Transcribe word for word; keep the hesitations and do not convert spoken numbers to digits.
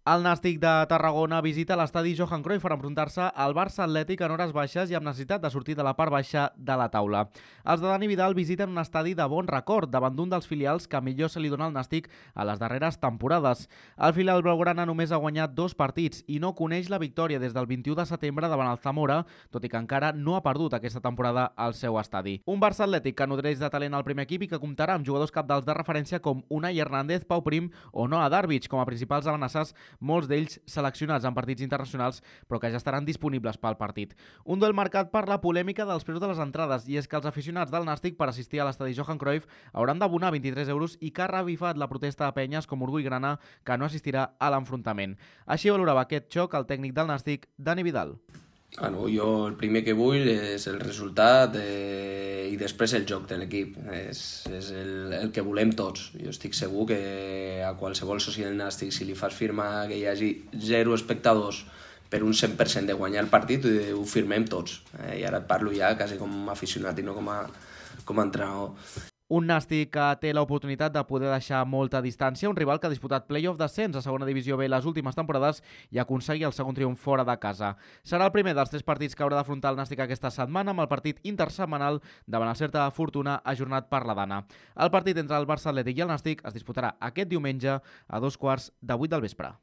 El Nàstic de Tarragona visita l'estadi Johan Cruyff per enfrontar-se al Barça Atlètic en hores baixes i amb necessitat de sortir de la part baixa de la taula. Els de Dani Vidal visiten un estadi de bon record davant d'un dels filials que millor se li dona al Nàstic a les darreres temporades. El filial blaugrana només ha guanyat dos partits i no coneix la victòria des del vint-i-u de setembre davant el Zamora, tot i que encara no ha perdut aquesta temporada al seu estadi. Un Barça Atlètic que nodreix de talent al primer equip i que comptarà amb jugadors cabdals de referència com Unai Hernández, Pau Prim o Noah Darvic com a principals amenaces, molts d'ells seleccionats en partits internacionals, però que ja estaran disponibles pel partit. Un duel marcat per la polèmica dels preus de les entrades, i és que els aficionats del Nàstic per assistir a l'estadi Johan Cruyff hauran d'abonar vint-i-tres euros i que ha revifat la protesta de penyes com Orgull Grana, que no assistirà a l'enfrontament. Així valorava aquest xoc el tècnic del Nàstic, Dani Vidal. Ah, no, jo el primer que vull és el resultat eh, i després el joc de l'equip. És, és el, el que volem tots. Jo estic segur que a qualsevol soci del Nàstic, si li fas firmar que hi hagi zero espectadors per un cent per cent de guanyar el partit, ho firmem tots. Eh, I ara et parlo ja quasi com a aficionat i no com a, com a entrenador. Un Nàstic que té l'oportunitat de poder deixar molta distància, un rival que ha disputat play-off d'ascens a segona divisió B les últimes temporades i aconseguir el segon triomf fora de casa. Serà el primer dels tres partits que haurà d'afrontar el Nàstic aquesta setmana, amb el partit intersetmanal davant el Certa de Fortuna ajornat per la Dana. El partit entre el Barça Atlètic i el Nàstic es disputarà aquest diumenge a dos quarts de vuit del vespre.